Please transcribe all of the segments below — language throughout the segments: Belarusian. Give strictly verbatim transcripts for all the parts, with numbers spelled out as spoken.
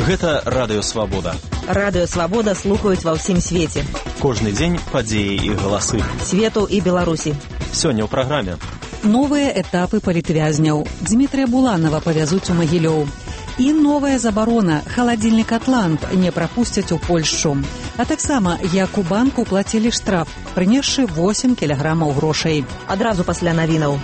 Гэта Радыё Свабода. Радыё Свабода слухаюць ва ўсім свеце. Кожны дзень падзеі і галасы. Свету і Беларусі. Сёння ў праграме. Новыя этапы палітвязняў. Дмітрия Буланова павязуць у Магілёў. І новая забарона. Халадзільнік «Атлант» не прапусцяць у Польшчу. А таксама, як у банку плацілі штраф, прынесшы восемь кілаграмаў грошай. Адразу пасля навінаў.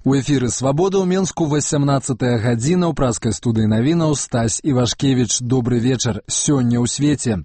У эфіры «Свабода» ў Менску васямнаццатая гадзіна ў праскай студыі навінаў Стась Івашкевіч. Добры вечар. Сёння ў свеце.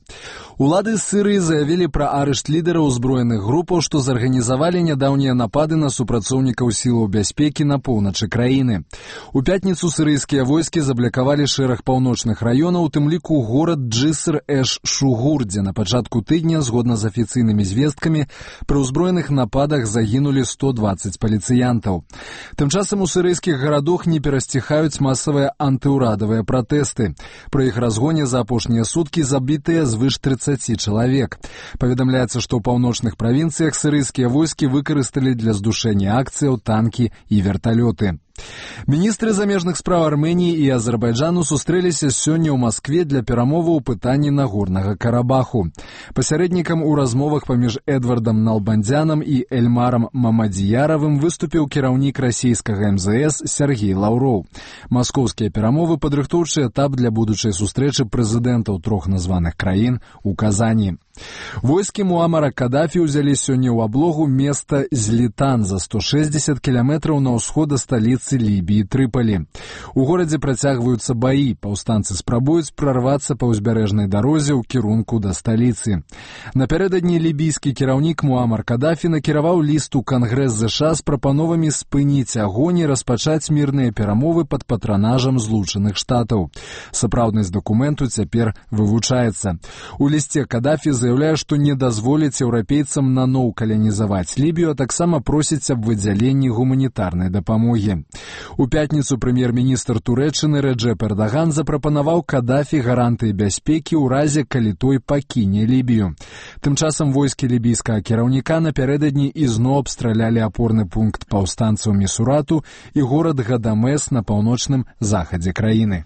Улады Сырыі заявілі пра арышт лідараў узброеных групаў, што зарганізавалі нядаўнія напады на супрацоўнікаў сілаў бяспекі на поўначы краіны. У пятніцу сырыйскія войскі заблякавалі шэраг паўночных раёнаў, у тым ліку горад Джыср-эш-Шугур, дзе на пачатку тыдня, згодна з афіцыйнымі звесткамі, пры ўзброеных нападах загінулі сто дваццаць паліцыянтаў. Тым часам у сырыйскіх гарадах не перасціхаюць масавыя антыўрадавыя пратэсты. Пры іх разгоне за апошнія суткі забітыя звыш трыццаць чалавек. Паведамляецца, што ў паўночных правінцыях сырыйскія войскі выкарысталі для здушэння акцыяў танкі і верталёты. Міністры замежных спраў Арменіі і Азербайджану сустрэліся сёння ў Маскве для перамоваў у пытанні Нагорнага Карабаху. Пасярэднікам у размовах паміж Эдвардам Налбандзянам і Эльмарам Мамадзіяравым выступіў кіраўнік расійскага эм зэ эс Сергей Лаўроў. Маскоўскія перамовы — падрыхтоўчы этап для будучай сустрэчы прэзідэнтаў трох названых краін у Казані. Войскі Муамара Кадафі ўзялі сёння ў аблогу места Злітан за сто шэсцьдзесят кіламетраў на ўсход ад сталіцы Лібіі Трыпалі. У горадзе працягваюцца баі, паўстанцы спрабуюць прарвацца па ўзбярэжнай дарозе ў кірунку да сталіцы. Напярэдадні лібійскі кіраўнік Муамар Кадафі накіраваў ліст у Кангрэс ЗША з прапановамі спыніць агонь і распачаць мірныя перамовы пад патранажам Злучаных Штатаў. Сапраўднасць дакументу цяпер вывучаецца. У лісце Кадафі заяўляе, што не дазволіць еўрапейцам наноў каланізаваць Лібію, а таксама просіць аб выдзяленні гуманітарнай дапамогі. У пятніцу прэм'ер-міністр Турэччыны Рэджэп Эрдаган запрапанаваў Кадафі гарантыі бяспекі ў разе, калі той пакіне Лібію. Тым часам войскі лібійскага кіраўніка напярэдадні ізноў абстралялі апорны пункт паўстанцаў Місурату і горад Гадамес на паўночным захадзе краіны.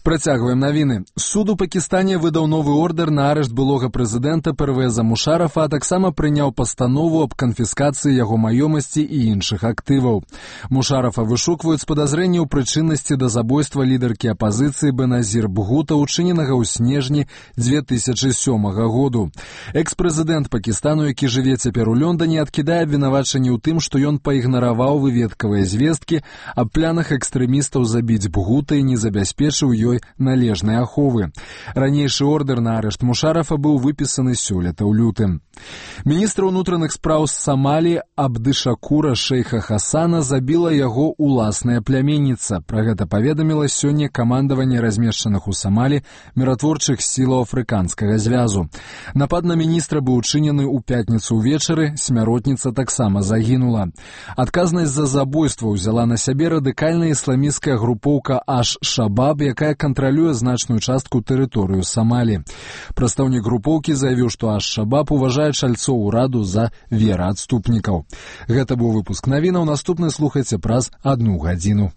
Працягваем навіны. Суд у Пакістане выдаў новы ордер на арышт былога прэзідэнта Первеза Мушарафа, а таксама прыняў пастанову аб канфіскацыі яго маёмасці і іншых актываў. Мушарафа вышукваюць з падазрэнняў прычыннасці да забойства лідаркі апазіцыі Беназір Бхута, учыненага ў снежні дзве тысячы сёмага году. Экс-прэзідэнт Пакістану, які жыве цяпер у Лондане, адкідае абвінавачанні ў тым, што ён паігнараваў выведкавыя звесткі аб планах экстрэмістаў забіць Бхута і не забяспечыў ёй належнай аховы. Ранейшы ордер на арышт Мушарафа быў выпісаны сёлета ў лютым. Міністр унутраных спраў з Самалі Абдышакура Шейха Хасана забіла яго уласная пляменніца. Пра гэта паведаміла сёння камандаванне размешчаных у Самалі міратворчых сілаў афрыканскага звязу. Напад на міністра быў учынены ў пятніцу ўвечары, смяротніца таксама загінула. Адказнасць за забойства ўзяла на сябе радыкальная ісламісцкая групоўка Аш-Шабаб, якая кантралюе значную частку тэрыторыю Самалі. Прадстаўнік групоўкі заявіў, што Аш-Шабаб уважае чальцоў ураду за вераадступнікаў. Гэта быў выпуск навінаў. Наступны слухайце праз адну гадзіну.